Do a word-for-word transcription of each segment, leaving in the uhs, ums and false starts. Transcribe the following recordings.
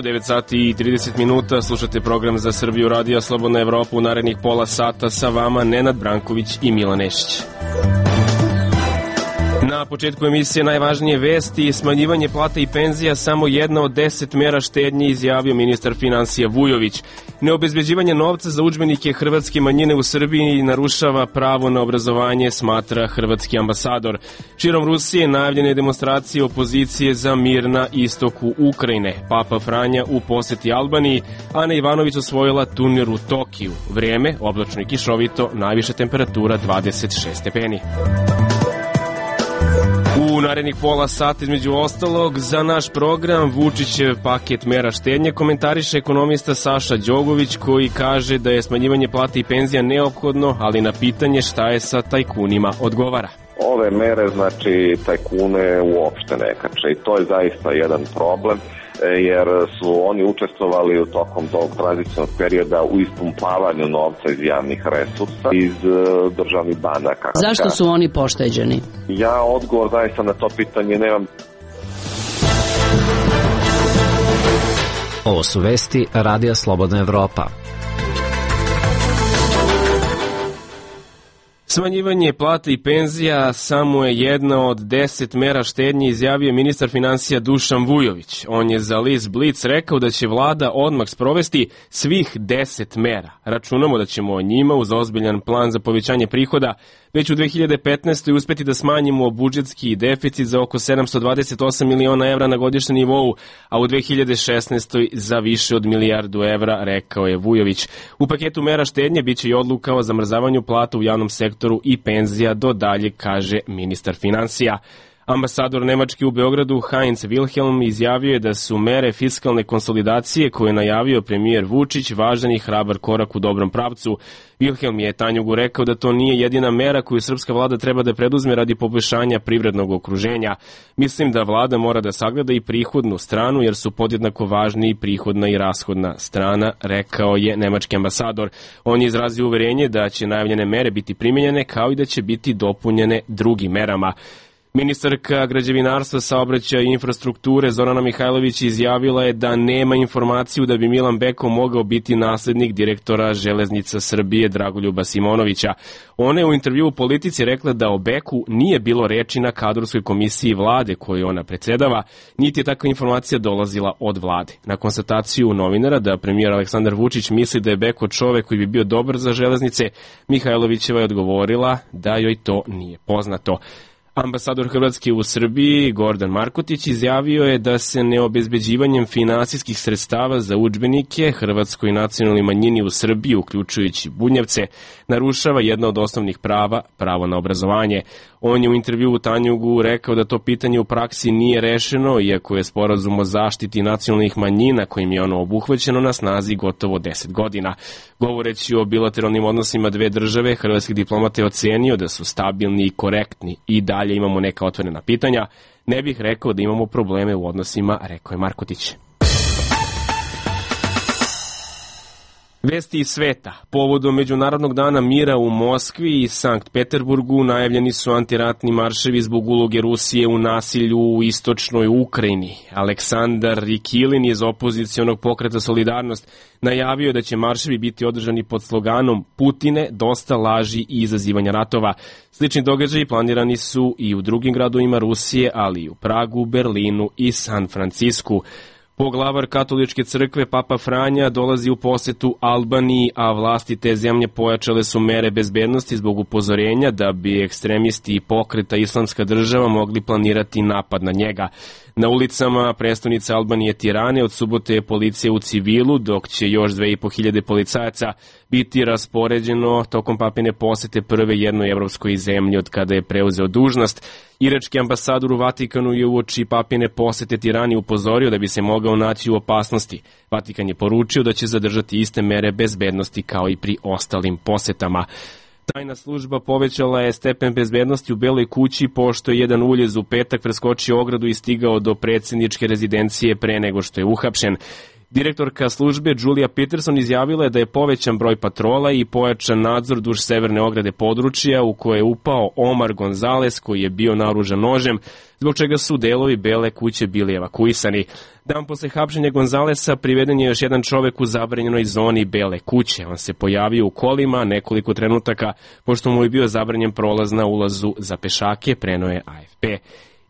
devet sati i trideset minuta, slušate program Za Srbiju Radija Slobodna Evropa. U narednih pola sata sa vama Nenad Branković i Milan Nešić. Na početku emisije najvažnije vesti: smanjivanje plata i penzija samo jedna od deset mera štednje, izjavio ministar finansija Vujović. Neobezbeđivanje novca za udžbenike hrvatske manjine u Srbiji narušava pravo na obrazovanje, smatra hrvatski ambasador. Širom Rusije najavljene demonstracije opozicije za mir na istoku Ukrajine. Papa Franja u poseti Albaniji, Ana Ivanović osvojila turnir u Tokiju. Vrijeme oblačno i kišovito, najviša temperatura dvadeset šest stepeni. U narednih pola sata, između ostalog, za naš program Vučićev paket mera štednje komentariše ekonomista Saša Đogović, koji kaže da je smanjivanje plata i penzija neophodno, ali na pitanje šta je sa tajkunima odgovara. Ove mere, znači, tajkune uopšte ne kače i to je zaista jedan problem, jer su oni učestvovali u tokom tog tranzicijnog perioda u ispumpavanju novca iz javnih resursa, iz uh, državnih banaka. Zašto su oni pošteđeni? Ja odgovor zaista na to pitanje nemam. Ovo su vesti Radija Slobodna Evropa. Smanjivanje plata i penzija samo je jedna od deset mera štednje, izjavio ministar finansija Dušan Vujović. On je za list Blic rekao da će vlada odmah sprovesti svih deset mera. Računamo da ćemo o njima uz ozbiljan plan za povećanje prihoda već u dve hiljade petnaestoj. uspeti da smanjimo budžetski deficit za oko sedamsto dvadeset osam miliona evra na godišnjem nivou, a u dve hiljade šesnaestoj za više od milijardu evra, rekao je Vujović. U paketu mera štednje biće i odluka o zamrzavanju plata u javnom sektoru i penzija do dalje, kaže ministar finansija. Ambasador Nemačke u Beogradu Heinz Wilhelm izjavio je da su mere fiskalne konsolidacije koje je najavio premijer Vučić važan i hrabar korak u dobrom pravcu. Wilhelm je Tanjugu rekao da to nije jedina mera koju srpska vlada treba da preduzme radi poboljšanja privrednog okruženja. Mislim da vlada mora da sagleda i prihodnu stranu, jer su podjednako važni i prihodna i rashodna strana, rekao je nemački ambasador. On je izrazio uverenje da će najavljene mere biti primjenjene, kao i da će biti dopunjene drugim merama. Ministarka građevinarstva, saobraćaja i infrastrukture Zorana Mihajlović izjavila je da nema informaciju da bi Milan Beko mogao biti naslednik direktora Železnica Srbije Dragoljuba Simonovića. Ona je u intervju u Politici rekla da o Beku nije bilo reči na kadrovskoj komisiji vlade koju ona predsedava, niti je takva informacija dolazila od vlade. Na konstataciju novinara da premijer Aleksandar Vučić misli da je Beko čovek koji bi bio dobar za železnice, Mihajlovićeva je odgovorila da joj to nije poznato. Ambasador Hrvatske u Srbiji Gordan Markotić izjavio je da se neobezbeđivanjem finansijskih sredstava za udžbenike hrvatskoj nacionalnoj manjini u Srbiji, uključujući Bunjevce, narušava jedna od osnovnih prava, pravo na obrazovanje. On je u intervju u Tanjugu rekao da to pitanje u praksi nije rešeno, iako je sporazum o zaštiti nacionalnih manjina kojim je ono obuhvaćeno na snazi gotovo deset godina. Govoreći o bilateralnim odnosima dve države, hrvatski diplomata je ocenio da su stabilni i korektni i dalje imamo neka otvorena pitanja. Ne bih rekao da imamo probleme u odnosima, rekao je Markotić. Vesti iz sveta. Povodom Međunarodnog dana mira u Moskvi i Sankt Peterburgu najavljeni su antiratni marševi zbog uloge Rusije u nasilju u istočnoj Ukrajini. Aleksandar Rikilin iz opozicionog pokreta Solidarnost najavio da će marševi biti održani pod sloganom Putine, dosta laži i izazivanja ratova. Slični događaji planirani su i u drugim gradovima Rusije, ali i u Pragu, Berlinu i San Francisku. Poglavar katoličke crkve Papa Franja dolazi u posetu Albaniji, a vlasti te zemlje pojačale su mere bezbednosti zbog upozorenja da bi ekstremisti i pokreta Islamska država mogli planirati napad na njega. Na ulicama prestonice Albanije Tirane od subote je policija u civilu, dok će još dve i po hiljade policajaca biti raspoređeno tokom papine posete prve jednoj evropskoj zemlji od kada je preuzeo dužnost. Irački ambasador u Vatikanu je uoči papine posete Tirani upozorio da bi se mogao naći u opasnosti. Vatikan je poručio da će zadržati iste mere bezbednosti kao i pri ostalim posetama. Tajna služba povećala je stepen bezbednosti u Beloj kući pošto je jedan uljez u petak preskočio ogradu i stigao do predsjedničke rezidencije pre nego što je uhapšen. Direktorka službe Julia Peterson izjavila je da je povećan broj patrola i pojačan nadzor duž severne ograde područja u koje je upao Omar Gonzales, koji je bio naoružan nožem, zbog čega su delovi Bele kuće bili evakuisani. Dan posle hapšenja Gonzalesa priveden je još jedan čovek u zabranjenoj zoni Bele kuće. On se pojavio u kolima nekoliko trenutaka, pošto mu je bio zabranjen prolaz na ulazu za pešake, preneo je A F P.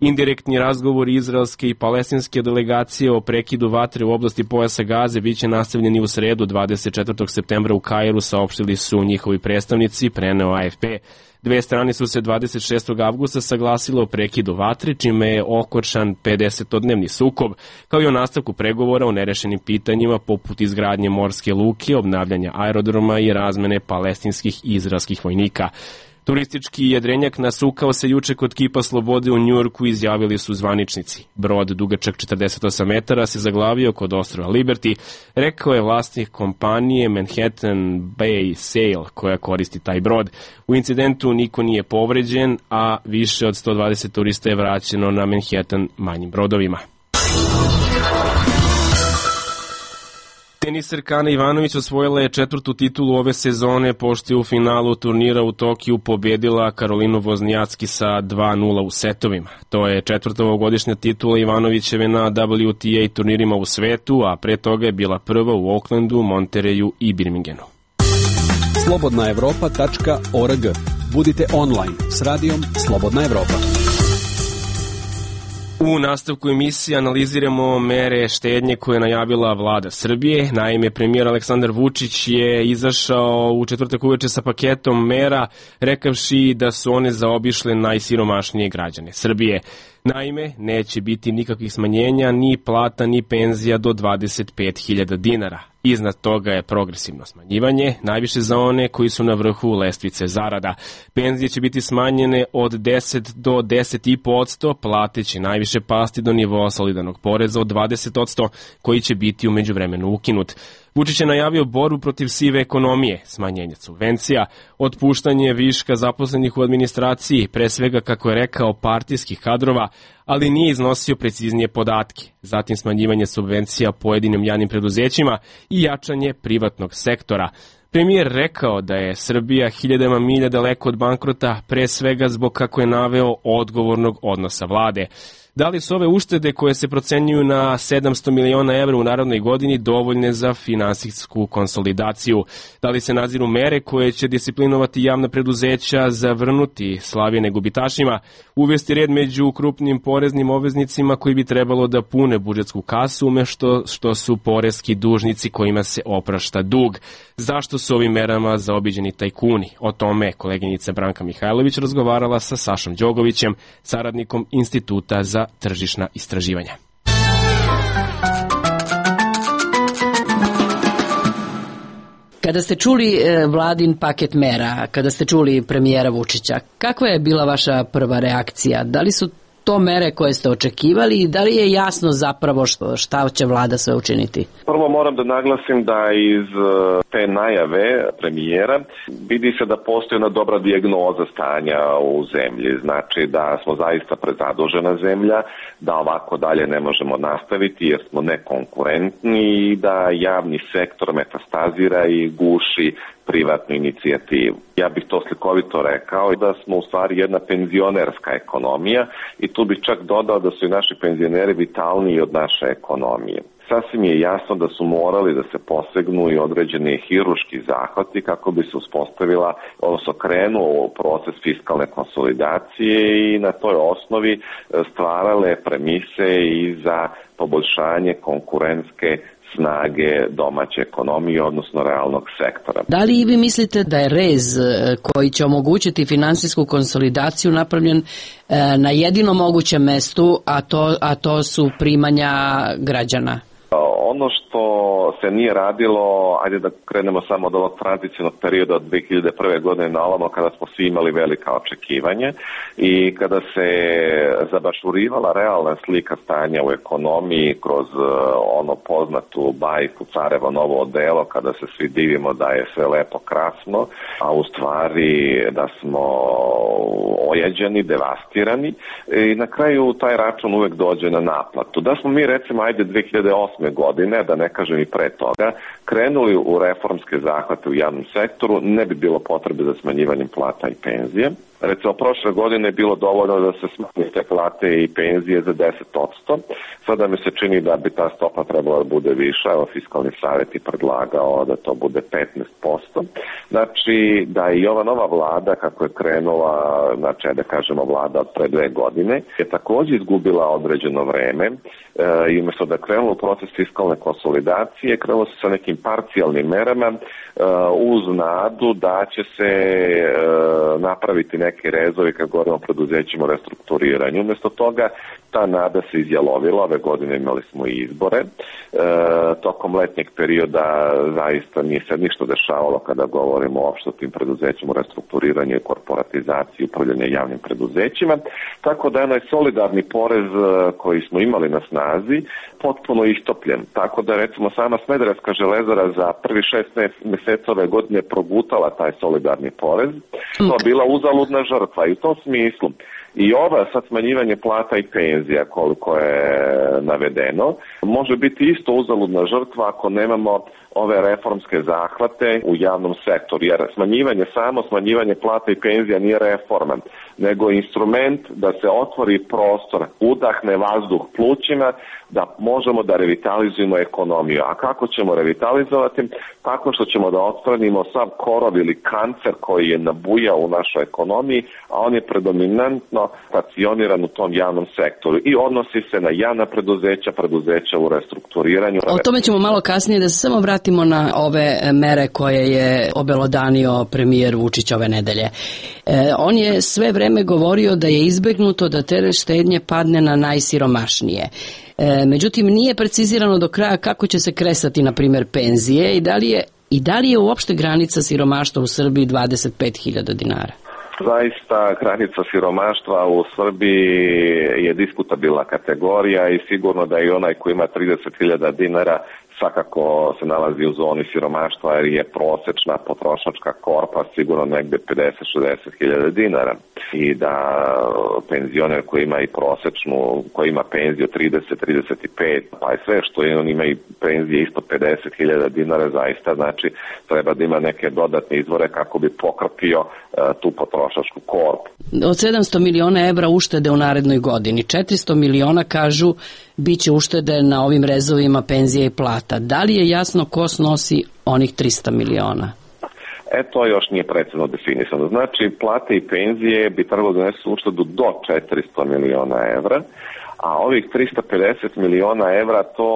Indirektni razgovori izraelske i palestinske delegacije o prekidu vatre u oblasti pojasa Gaze biće nastavljeni u sredu dvadeset četvrtog septembra u Kairu, saopštili su njihovi predstavnici, preneo A F P. Dve strane su se dvadeset šestog avgusta saglasile o prekidu vatre, čime je okončan pedesetodnevni sukob, kao i o nastavku pregovora o nerešenim pitanjima poput izgradnje morske luke, obnavljanja aerodroma i razmene palestinskih i izraelskih vojnika. Turistički jedrenjak nasukao se juče kod Kipa slobode u Njujorku, izjavili su zvaničnici. Brod dugačak četrdeset osam metara se zaglavio kod ostrva Liberty, rekao je vlasnik kompanije Manhattan Bay Sail koja koristi taj brod. U incidentu niko nije povređen, a više od sto dvadeset turista je vraćeno na Manhattan manjim brodovima. Teniserka Ana Ivanović osvojila je četvrtu titulu ove sezone, pošto je u finalu turnira u Tokiju pobedila Karolinu Voznjacki sa dva nula u setovima. To je četvrta ovogodišnja titula Ivanovićeve na W T A turnirima u svetu, a pre toga je bila prva u Oaklandu, Montereju i Birmingenu. slobodna evropa tačka org. Budite online s radijom Slobodna Evropa. U nastavku emisije analiziramo mere štednje koje je najavila vlada Srbije. Naime, premijer Aleksandar Vučić je izašao u četvrtak uveče sa paketom mera, rekavši da su one zaobišle najsiromašnije građane Srbije. Naime, neće biti nikakvih smanjenja ni plata ni penzija do dvadeset pet hiljada dinara. Iznad toga je progresivno smanjivanje, najviše za one koji su na vrhu lestvice zarada. Penzije će biti smanjene od deset do deset zarez pet posto, plate će najviše pasti do nivoa solidarnog poreza od dvadeset posto, koji će biti u međuvremenu ukinut. Vučić je najavio borbu protiv sive ekonomije, smanjenje subvencija, otpuštanje viška zaposlenih u administraciji, pre svega, kako je rekao, partijskih kadrova, ali nije iznosio preciznije podatke. Zatim smanjivanje subvencija pojedinim javnim preduzećima i jačanje privatnog sektora. Premijer rekao da je Srbija hiljadama milja daleko od bankrota, pre svega zbog, kako je naveo, odgovornog odnosa vlade. Da li su ove uštede koje se procenjuju na sedamsto miliona evra u narednoj godini dovoljne za finansijsku konsolidaciju? Da li se nadziru mere koje će disciplinovati javna preduzeća, zavrnuti slavine gubitašima, uvesti red među krupnim poreznim obveznicima koji bi trebalo da pune budžetsku kasu umešto što su poreski dužnici kojima se oprašta dug? Zašto su ovim merama zaobiđeni tajkuni? O tome koleginica Branka Mihajlović razgovarala sa Sašom Đogovićem, saradnikom Instituta za tržišna istraživanja. Kada ste čuli vladin paket mera, kada ste čuli premijera Vučića, kakva je bila vaša prva reakcija? Da li su to mere koje ste očekivali i da li je jasno zapravo šta će vlada sve učiniti? Prvo moram da naglasim da iz te najave premijera vidi se da postoji jedna dobra dijagnoza stanja u zemlji. Znači da smo zaista prezadužena zemlja, da ovako dalje ne možemo nastaviti jer smo nekonkurentni i da javni sektor metastazira i guši privatnu inicijativu. Ja bih to slikovito rekao da smo u stvari jedna penzionerska ekonomija i tu bih čak dodao da su i naši penzioneri vitalniji od naše ekonomije. Sasvim je jasno da su morali da se posegnu i određeni hirurški zahvati kako bi se uspostavila, odnosno krenuo proces fiskalne konsolidacije i na toj osnovi stvarale premise i za poboljšanje konkurentske snage domaće ekonomije, odnosno realnog sektora. Da li i vi mislite da je rez koji će omogućiti finansijsku konsolidaciju napravljen na jedinom mogućem mestu, a to, a to su primanja građana? Ono što se nije radilo, ajde da krenemo samo od ovog tranzicionog perioda od dve hiljade prve godine na ovamo, kada smo svi imali velika očekivanja i kada se zabašurivala realna slika stanja u ekonomiji kroz ono poznatu bajku Carevo novo odelo, kada se svi divimo da je sve lepo krasno, a u stvari da smo ojađeni, devastirani i na kraju taj račun uvek dođe na naplatu. Da smo mi recimo ajde dve hiljade osme godine, da ne kažem i pre toga, krenuli u reformske zahvate u javnom sektoru, ne bi bilo potrebe za smanjivanjem plata i penzije. Recimo, prošle godine je bilo dovoljno da se smanje te plate i penzije za deset posto. Sada mi se čini da bi ta stopa trebala da bude viša. Evo, Fiskalni savjet je predlagao da to bude petnaest posto. Znači, da i ova nova vlada, kako je krenula, znači, da kažemo vlada od pre dve godine, je također izgubila određeno vreme e, i umjesto da je krenulo u proces fiskalne konsolidacije, krenulo se sa nekim parcijalnim merama e, uz nadu da će se e, napraviti neke rezovi kad govorimo o preduzećima o restrukturiranju. Umjesto toga ta nada se izjalovila, ove godine imali smo i izbore. E, tokom letnjeg perioda zaista nije se ništa dešavalo kada govorimo uopšte o tim preduzećima o restrukturiranju i korporatizaciji, upravljanje javnim preduzećima. Tako da je onaj solidarni porez koji smo imali na snazi potpuno istopljen. Tako da recimo sama Smederevska železara za prvi šest mjeseca ove godine progutala taj solidarni porez. To je bila uzaludna žrtva i u tom smislu i ova sad smanjivanje plata i penzija koliko je navedeno može biti isto uzaludna žrtva ako nemamo ove reformske zahvate u javnom sektoru, jer smanjivanje, samo smanjivanje plata i penzija nije reforma, nego instrument da se otvori prostor, udahne vazduh plućima, da možemo da revitalizujemo ekonomiju. A kako ćemo revitalizovati? Tako što ćemo da otstranimo sav korov ili kancer koji je nabujao u našoj ekonomiji, a on je predominantno stacioniran u tom javnom sektoru i odnosi se na javna preduzeća, preduzeća u restrukturiranju. O tome ćemo malo kasnije, da se samo vratimo na ove mere koje je obelodanio premijer Vučić ove nedelje. E, on je sve vreme govorio da je izbegnuto da teret štednje padne na najsiromašnije. E, međutim, nije precizirano do kraja kako će se kresati, na primjer, penzije i da li je, i da li je uopšte granica siromaštva u Srbiji dvadeset pet hiljada dinara? Zaista, granica siromaštva u Srbiji je diskutabilna kategorija i sigurno da i onaj koji ima trideset hiljada dinara svakako se nalazi u zoni siromaštva jer je prosečna potrošačka korpa sigurno negde pedeset do šezdeset hiljada dinara i da penzioner koji ima i prosečnu, koji ima penziju trideset do trideset pet, pa i sve što je, on ima i penzije isto pedeset hiljada dinara, zaista znači treba da ima neke dodatne izvore kako bi pokrpio uh, tu potrošačku korpu. Od sedamsto miliona evra uštede u narednoj godini, četiristo miliona kažu biće uštede na ovim rezovima penzije i plata. Da li je jasno ko snosi onih tristo miliona? E, to još nije precizno definisano. Znači, plate i penzije bi trebalo da donesu uštedu do četiristo miliona evra, a ovih tristo pedeset miliona evra to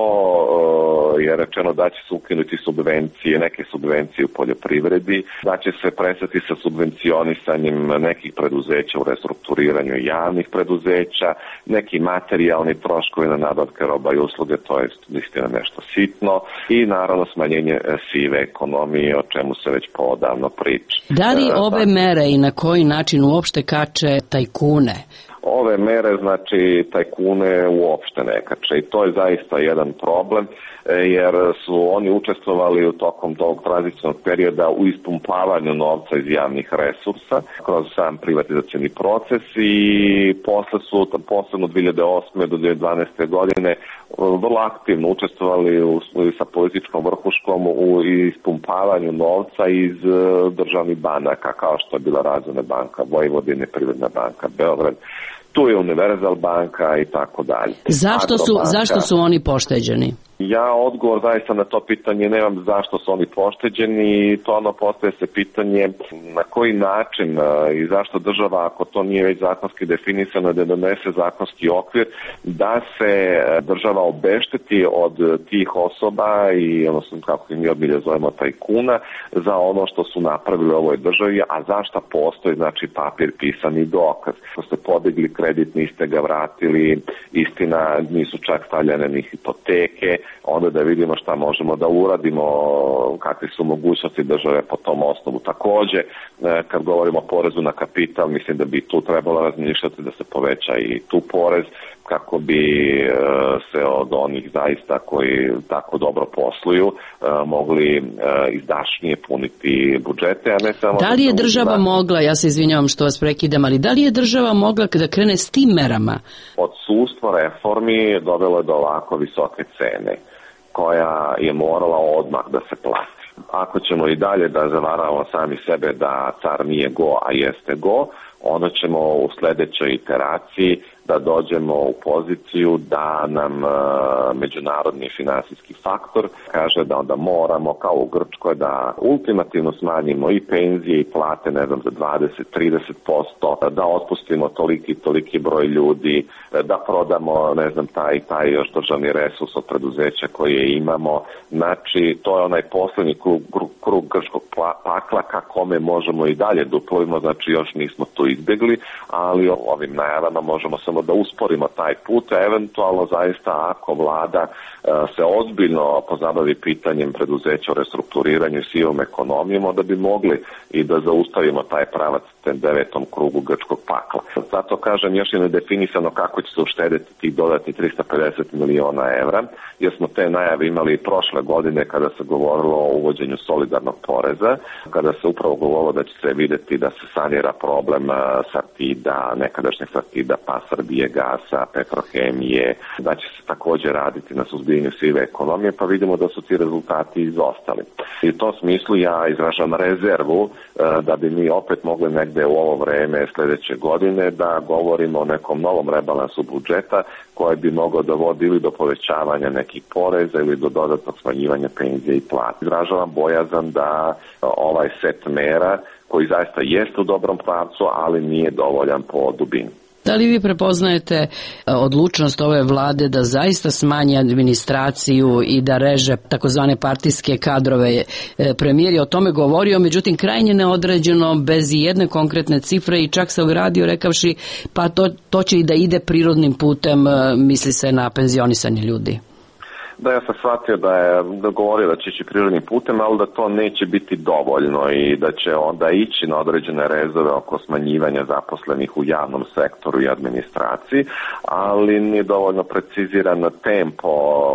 uh, je rečeno da će se ukinuti subvencije, neke subvencije u poljoprivredi, da će se prestati sa subvencionisanjem nekih preduzeća u restrukturiranju javnih preduzeća, neki materijalni troškovi na nabavke roba i usluge, to je istina nešto sitno, i naravno smanjenje sive ekonomije, o čemu se već poodavno priča. Da li ove mere i na koji način uopšte kače tajkune? Ove mere, znači, tajkune uopšte ne kače i to je zaista jedan problem, jer su oni učestvovali u tokom tog tranzicionog perioda u ispumpavanju novca iz javnih resursa kroz sam privatizacioni proces i posle su, posebno od dve hiljade osme do dve hiljade dvanaeste godine, vrlo aktivno učestvovali u, sa političkom vrhuškom u ispumpavanju novca iz državnih banaka, kao što je bila Razvojna banka Vojvodine, Privredna banka Beograd, tu je Univerzal banka i tako dalje. Zašto su, zašto su oni pošteđeni? Ja odgovor zaista na to pitanje nemam zašto su oni pošteđeni i to ono postaje se pitanje na koji način i zašto država, ako to nije već zakonski definisano, da donese zakonski okvir da se država obešteti od tih osoba i odnosno kako im mi obilje zovemo tajkuna za ono što su napravili u ovoj državi, a zašto postoji znači papir pisani dokaz. Ko ste podigli kredit, niste ga vratili, istina nisu čak stavljene ni hipoteke, onda da vidimo šta možemo da uradimo, kakve su mogućnosti države po tom osnovu. Takođe, kad govorimo o porezu na kapital, mislim da bi tu trebalo razmišljati da se poveća i tu porez, kako bi se od onih zaista koji tako dobro posluju mogli izdašnije puniti budžete, a ne samo... Da li je država mogla, ja se izvinjavam što vas prekidam, ali da li je država mogla da krene s tim merama? Odsustvo reformi dovelo je do ovako visoke cene, koja je morala odmah da se plati. Ako ćemo i dalje da zavaravamo sami sebe da car nije go, a jeste go, onda ćemo u sledećoj iteraciji da dođemo u poziciju da nam e, međunarodni finansijski faktor kaže da onda moramo, kao u Grčkoj, da ultimativno smanjimo i penzije i plate, ne znam, za dvadeset do trideset posto, da otpustimo toliki toliki broj ljudi, da prodamo, ne znam, taj taj još državni resurs od preduzeća koje imamo. Znači, to je onaj poslednji krug, krug, krug grčkog pakla ka kome možemo i dalje da uplovimo, znači još nismo to izbjegli, ali ovim najavama možemo samo da usporimo taj put, a eventualno zaista ako vlada se ozbiljno pozabavi pitanjem preduzeća o restrukturiranju i sivom ekonomijom, onda bi mogli i da zaustavimo taj pravac ten devetom krugu grčkog pakla. Zato kažem, još je nedefinisano kako će se uštedeti tih dodatnih trista pedeset miliona evra, jer smo te najave imali prošle godine kada se govorilo o uvođenju solidarnog poreza, kada se upravo govorilo da će se videti da se sanira problem Sartida, nekadašnjeg Sartida, pa Srbije, Gasa, Petrohemije, da će se također raditi na suzbijanju sive ekonomije, pa vidimo da su ti rezultati izostali. I u tom smislu ja izražam rezervu da bi mi opet mogli negde u ovo vreme sljedeće godine da govorimo o nekom novom rebalansu budžeta koji bi mogao da vodi ili do povećavanja nekih poreza ili do dodatnog smanjivanja penzije i plata. Izražavam bojazan da ovaj set mera koji zaista jeste u dobrom pravcu, ali nije dovoljan po dubini. Da li vi prepoznajete odlučnost ove vlade da zaista smanji administraciju i da reže takozvane partijske kadrove? Premijer je o tome govorio, međutim krajnje neodređeno, bez jedne konkretne cifre, i čak se ogradio rekavši pa to, to će i da ide prirodnim putem, misli se na penzionisanje ljudi. Da, ja sam shvatio da je da govorio da će ići prirodnim putem, ali da to neće biti dovoljno i da će onda ići na određene rezove oko smanjivanja zaposlenih u javnom sektoru i administraciji, ali nije dovoljno preciziran tempo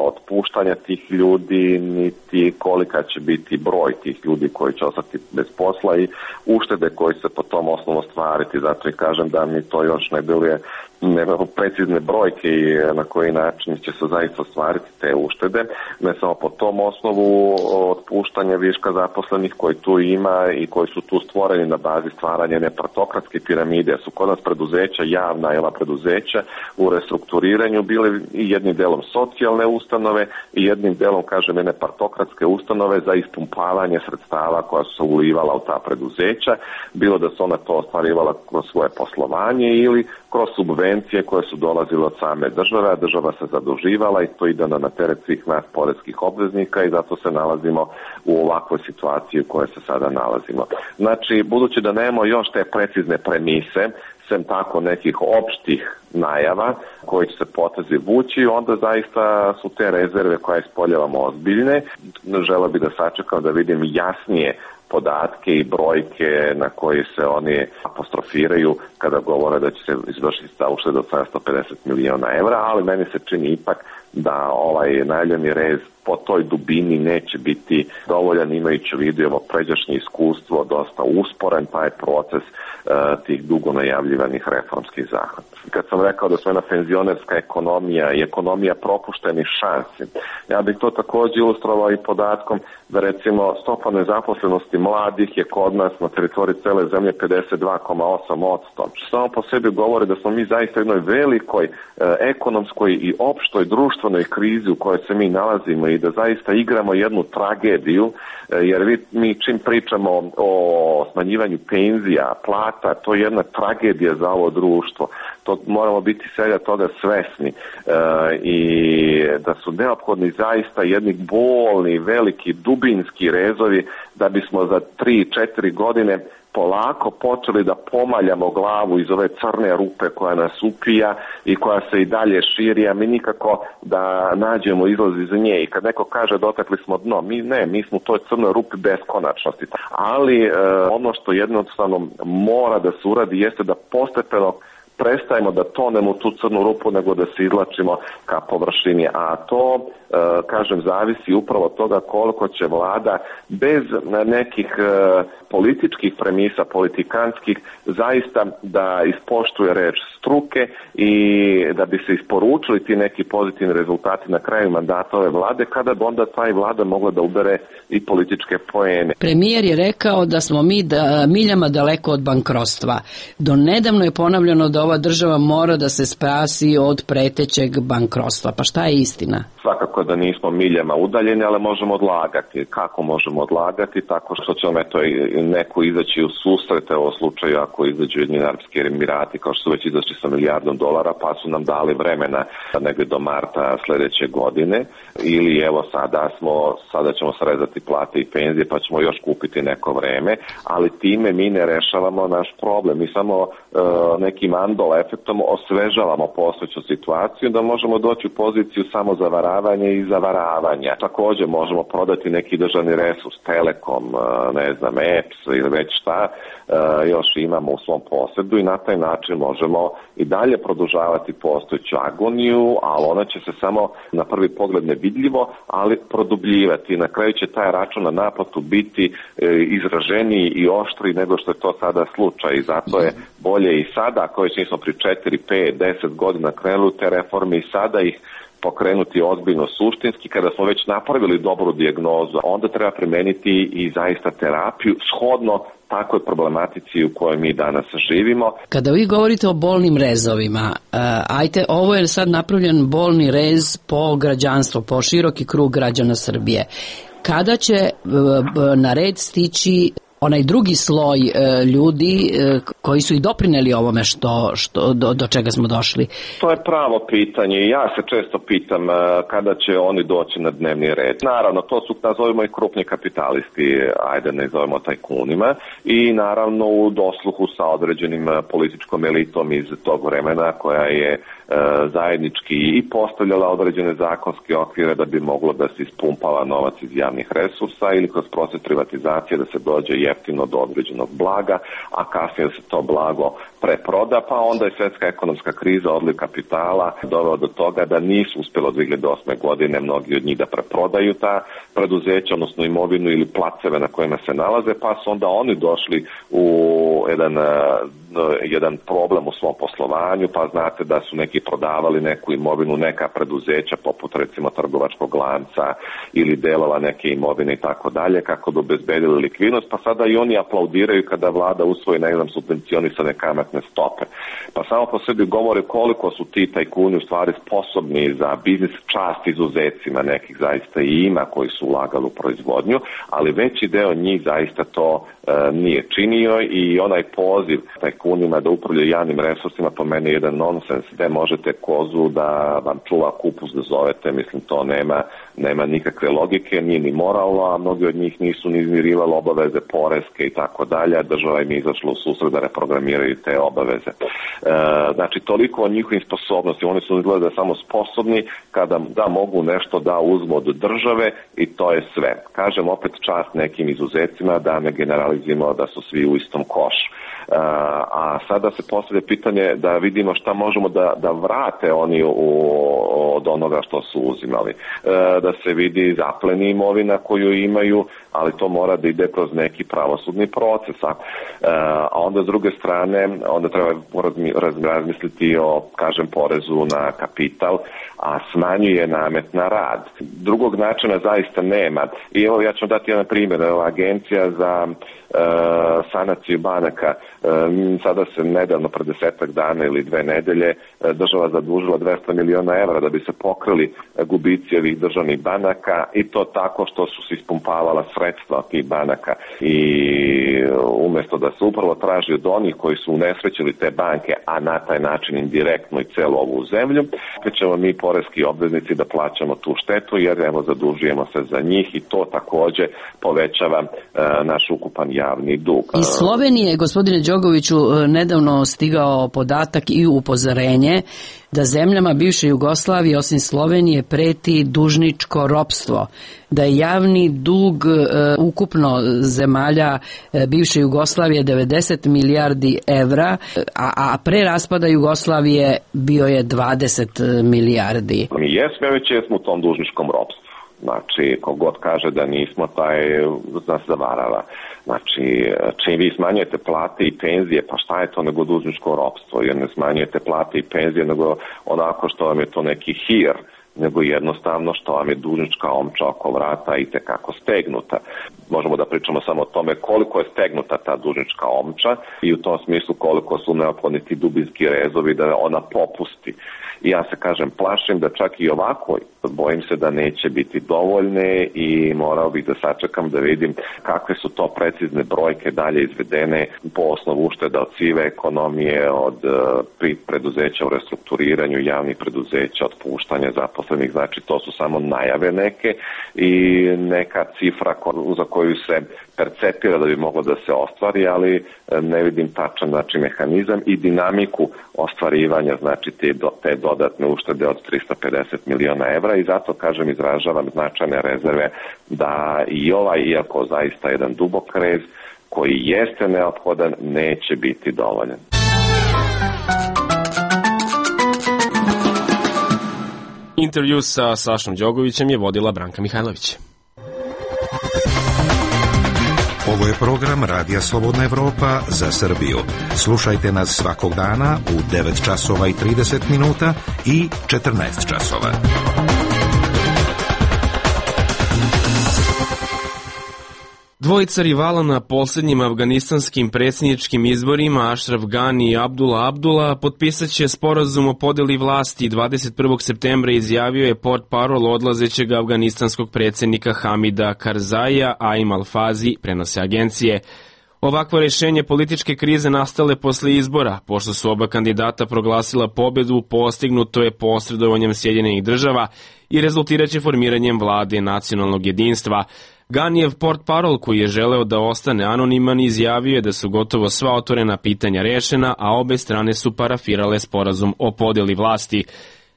otpuštanja tih ljudi, niti kolika će biti broj tih ljudi koji će ostati bez posla i uštede koji se po tom osnovu ostvariti. Zato i kažem da mi to još ne deluje nekako precizne brojke i na koji način će se zaista ostvariti te uštede, ne samo po tom osnovu otpuštanja viška zaposlenih koji tu ima i koji su tu stvoreni na bazi stvaranja jedne partokratske piramide. Su kod nas preduzeća, javna jela preduzeća u restrukturiranju bile i jednim delom socijalne ustanove i jednim delom, kažem, jedne partokratske ustanove za ispumpavanje sredstava koja su se ulivala u ta preduzeća, bilo da su ona to ostvarivala kroz svoje poslovanje ili kroz subvencije koje su dolazile od same države, a država se zaduživala i to ide na teret svih nas poreskih obveznika i zato se nalazimo u ovakvoj situaciji u kojoj se sada nalazimo. Znači, budući da nemamo još te precizne premise, sem tako nekih opštih najava koji će se potezi vući, onda zaista su te rezerve koje ispoljavamo ozbiljne. Želeo bih da sačekam da vidim jasnije podatke i brojke na koji se oni apostrofiraju kada govore da će se izvršiti ta ušteda od sedamsto pedeset miliona evra, ali meni se čini ipak da ovaj najavljeni rez po toj dubini neće biti dovoljan, imajući u vidu ovo pređašnje iskustvo, dosta usporen taj proces uh, tih dugo najavljivanih reformskih zahvata. Kad sam rekao da smo jedna penzionerska ekonomija i ekonomija propuštenih šansi, ja bih to također ilustrovao i podatkom da recimo stopa nezaposlenosti mladih je kod nas na teritoriji cele zemlje pedeset dva zarez osam posto. Samo po sebi govori da smo mi zaista u jednoj velikoj e, ekonomskoj i opštoj društvenoj krizi u kojoj se mi nalazimo i da zaista igramo jednu tragediju, e, jer vi, mi čim pričamo o smanjivanju penzija, plata, to je jedna tragedija za ovo društvo. to moramo biti svega toga svesni e, i da su neophodni zaista jedni bolni, veliki, dubinski rezovi da bismo za tri, četiri godine polako počeli da pomaljamo glavu iz ove crne rupe koja nas upija i koja se i dalje širi, a mi nikako da nađemo izlaz iz nje. I kad neko kaže dotakli smo dno, mi ne, mi smo u toj crnoj rupi beskonačnosti. Ali e, ono što jednostavno mora da se uradi jeste da postepeno prestajemo da tonemo u tu crnu rupu, nego da se izlačimo ka površini, a to, e, kažem, zavisi upravo od toga koliko će vlada bez nekih e, političkih premisa, politikanskih, zaista da ispoštuje reč struke i da bi se isporučili ti neki pozitivni rezultati na kraju mandata ove vlade, kada bi onda taj vlada mogla da ubere i političke poene. Premijer je rekao da smo mi da, miljama daleko od bankrotstva. Do nedavno je ponavljano da ova država mora da se spasi od pretećeg bankrotstva. Pa šta je istina? Svakako da nismo miljama udaljeni, ali možemo odlagati. Kako možemo odlagati? Tako što će nam eto neko izaći u susrete, u slučaju ako izađu Ujedinjeni Arapski Emirati, kao što su već izašli sa milijardom dolara, pa su nam dali vremena negdje do marta sljedeće godine, ili evo sada smo, sada ćemo srezati plate i penzije, pa ćemo još kupiti neko vreme, ali time mi ne rešavamo naš problem. Mi samo e, nekim andol efektom osvežavamo postojeću situaciju, da možemo doći u poziciju samo zavaravanja i zavaravanja. Također možemo prodati neki državni resurs, Telekom, ne znam, E P S ili već šta, još imamo u svom posjedu i na taj način možemo i dalje produžavati postojeću agoniju, ali ona će se samo na prvi pogled nevidljivo, ali produbljivati. Na kraju će taj račun na naplatu biti izraženiji i oštriji nego što je to sada slučaj i zato je bolje i sada, ako već nismo pri četiri, pet, deset godina krenuli te reforme i sada ih pokrenuti ozbiljno suštinski. Kada smo već napravili dobru dijagnozu, onda treba primeniti i zaista terapiju shodno takvoj problematici u kojoj mi danas živimo. Kada vi govorite o bolnim rezovima, ajte, ovo je sad napravljen bolni rez po građanstvo, po široki krug građana Srbije. Kada će na red stići onaj drugi sloj e, ljudi e, koji su i doprineli ovome što, što do, do čega smo došli? To je pravo pitanje i ja se često pitam e, kada će oni doći na dnevni red. Naravno, to su, nazovimo i krupni kapitalisti, ajde ne zovemo tajkunima, i naravno u dosluhu sa određenim političkom elitom iz tog vremena koja je e, zajednički i postavljala određene zakonske okvire da bi moglo da se ispumpava novac iz javnih resursa ili kroz proces privatizacije da se dođe jeftino do određenog blaga, a kasnije se to blago preproda, pa onda je svjetska ekonomska kriza, odliv kapitala doveo do toga da nisu uspjeli od dvije hiljade osme godine mnogi od njih da preprodaju ta preduzeća, odnosno imovinu ili placeve na kojima se nalaze, pa su onda oni došli u jedan, jedan problem u svom poslovanju, pa znate da su neki prodavali neku imovinu, neka preduzeća poput recimo trgovačkog lanca ili delova neke imovine i tako dalje, kako bi obezbedili likvidnost, pa sada i oni aplaudiraju kada vlada usvoji, ne znam, subvencionisane kamatne stope. Pa samo po sebi govore koliko su ti tajkuni u stvari sposobni za biznis, čast izuzecima nekih zaista i ima koji su ulagali u proizvodnju, ali veći deo njih zaista to e, nije činio i onaj poziv tajkunima da upravljaju javnim resursima po meni je jedan nonsens, gde možete kozu da vam čuva kupus da zovete, mislim to nema, nema nikakve logike, nije ni moralno, a mnogi od njih nisu ni izmirivali obaveze poreske i tako dalje, država im je izašla u susret da reprogramiraju te obaveze. E, znači, toliko o njihovim sposobnosti, oni su izgleda samo sposobni kada da mogu nešto da uzmu od države i to je sve. Kažem opet čast nekim izuzecima, da ne generalizimo da su svi u istom košu. Uh, a sada se postavlja pitanje da vidimo šta možemo da, da vrate oni u, od onoga što su uzimali. Uh, da se vidi zapleni imovina koju imaju, ali to mora da ide kroz neki pravosudni proces. A, uh, a onda s druge strane, onda treba razmisliti o, kažem, porezu na kapital, a smanjuje namet na rad. Drugog načina zaista nema. I evo ja ću dati jedan primjer. Evo, Agencija za uh, sanaciju banaka Sada se nedavno, pred desetak dana ili dve nedelje, država zadužila dvesta miliona evra da bi se pokrili gubici ovih državnih banaka, i to tako što su se ispumpavala sredstva tih banaka, i umjesto da se upravo traži od onih koji su unesrećili te banke, a na taj način indirektno i celu ovu zemlju, opet ćemo mi poreski obveznici da plaćamo tu štetu, jer evo zadužujemo se za njih, i to takođe povećava e, naš ukupan javni dug. Iz Slovenije, gospodine Đogoviću, nedavno stigao podatak i upozorenje da zemljama bivše Jugoslavije osim Slovenije preti dužničko ropstvo, da je javni dug e, ukupno zemalja e, bivše Jugoslavije devedeset milijardi evra, a, a pre raspada Jugoslavije bio je dvadeset milijardi. Mi jesmo, već jesmo u tom dužničkom ropstvu. Znači, kogod kaže da nismo, taj nas zavarava. Znači, čim vi smanjujete plate i penzije, pa šta je to nego dužničko ropstvo? Jer ne smanjujete plate i penzije nego onako što vam je to neki hir, nego jednostavno što vam je dužnička omča oko vrata i tekako stegnuta. Možemo da pričamo samo o tome koliko je stegnuta ta dužnička omča i u tom smislu koliko su neophodni ti dubinski rezovi da ona popusti. I ja se kažem, plašim da čak i ovako, bojim se da neće biti dovoljne, i morao bih da sačekam da vidim kakve su to precizne brojke dalje izvedene po osnovu ušteda od sive ekonomije, od uh, preduzeća u restrukturiranju, javnih preduzeća, otpuštanja zaposlenih. Znači, to su samo najave neke i neka cifra ko, za koju se percepira da bi moglo da se ostvari, ali ne vidim tačan, znači, mehanizam i dinamiku ostvarivanja, znači te, do, te dodatne uštede od trista pedeset miliona evra, i zato, kažem, izražavam značajne rezerve da i ovaj, iako zaista jedan dubok rez koji jeste neophodan, neće biti dovoljan. Intervju sa Sašom Đogovićem je vodila Branka Mihajlović. Ovo je program Radija Slobodna Evropa za Srbiju. Slušajte nas svakog dana u devet časova i trideset minuta i četrnaest časova. Dvojica rivala na posljednjim afganistanskim predsjedničkim izborima, Ashraf Ghani i Abdullah Abdullah, potpisat će sporazum o podeli vlasti. dvadeset prvog septembra izjavio je portparol odlazećeg afganistanskog predsjednika Hamida Karzaija, Aim Al-Fazi, prenose agencije. Ovakvo rješenje političke krize nastale posle izbora, pošto su oba kandidata proglasila pobedu, postignuto je posredovanjem Sjedinjenih država i rezultiraće formiranjem vlade nacionalnog jedinstva. Ganijev portparol, koji je želeo da ostane anoniman, izjavio je da su gotovo sva otvorena pitanja rešena, a obe strane su parafirale sporazum o podeli vlasti.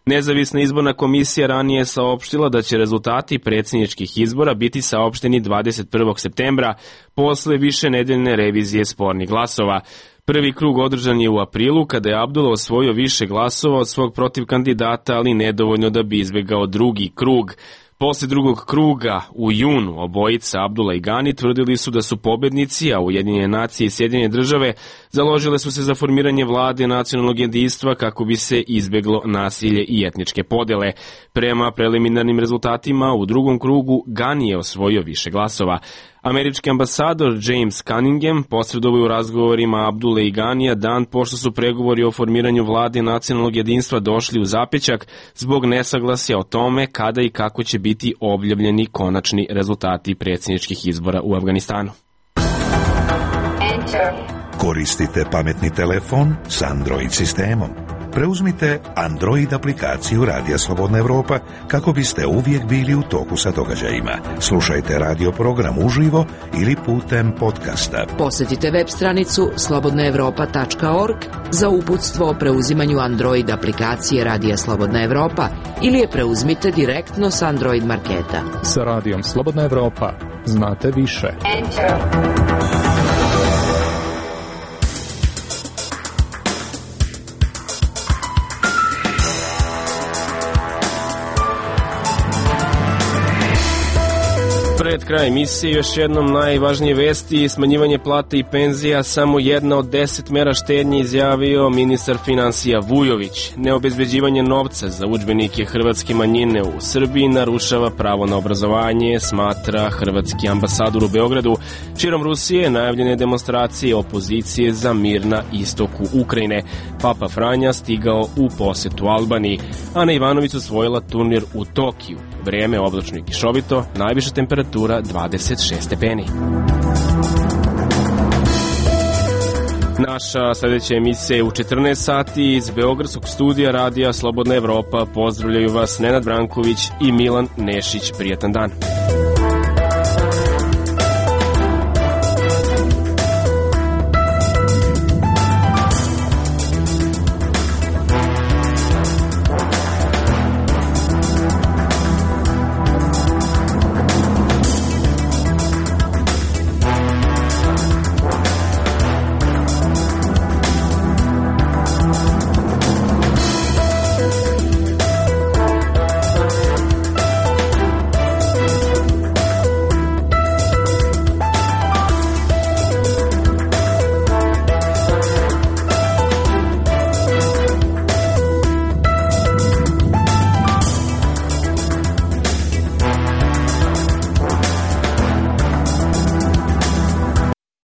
Nezavisna izborna komisija ranije je saopštila da će rezultati predsjedničkih izbora biti saopšteni dvadeset prvog septembra posle više nedeljne revizije spornih glasova. Prvi krug održan je u aprilu, kada je Abdullah osvojio više glasova od svog protiv kandidata, ali nedovoljno da bi izbegao drugi krug. Posle drugog kruga, u junu, obojica Abdullah i Ghani tvrdili su da su pobednici, a Ujedinjene nacije i Sjedinjene države založile su se za formiranje vlade nacionalnog jedinstva kako bi se izbeglo nasilje i etničke podele. Prema preliminarnim rezultatima, u drugom krugu Ghani je osvojio više glasova. Američki ambasador James Cunningham posredovao u razgovorima Abdullah i Ghanija dan pošto su pregovori o formiranju vlade nacionalnog jedinstva došli u zapećak zbog nesaglasja o tome kada i kako će biti objavljeni konačni rezultati predsjedničkih izbora u Afganistanu. Koristite pametni telefon s Android sistemom. Preuzmite Android aplikaciju Radija Slobodna Evropa kako biste uvijek bili u toku sa događajima. Slušajte radio program uživo ili putem podcasta. Posjetite web stranicu slobodna evropa tačka org za uputstvo o preuzimanju Android aplikacije Radija Slobodna Evropa ili je preuzmite direktno s Android marketa. Sa Radijom Slobodna Evropa znate više. Enter. pred kraj emisije još jednom najvažnije vesti, smanjivanje plata i penzija, samo jedna od deset mera štednje, izjavio ministar finansija Vujović. Neobezbeđivanje novca za udžbenike hrvatske manjine u Srbiji narušava pravo na obrazovanje, smatra hrvatski ambasador u Beogradu. Širom Rusije najavljene demonstracije opozicije za mir na istoku Ukrajine. Papa Franja stigao u posetu Albaniji. Ana Ivanović osvojila turnir u Tokiju. Vrijeme oblačno i kišovito, najviša temperatura dvadeset šest stepeni. Naša sljedeća emisija je u četrnaest sati iz Beogradskog studija Radija Slobodna Evropa. Pozdravljaju vas Nenad Branković i Milan Nešić. Prijatan dan.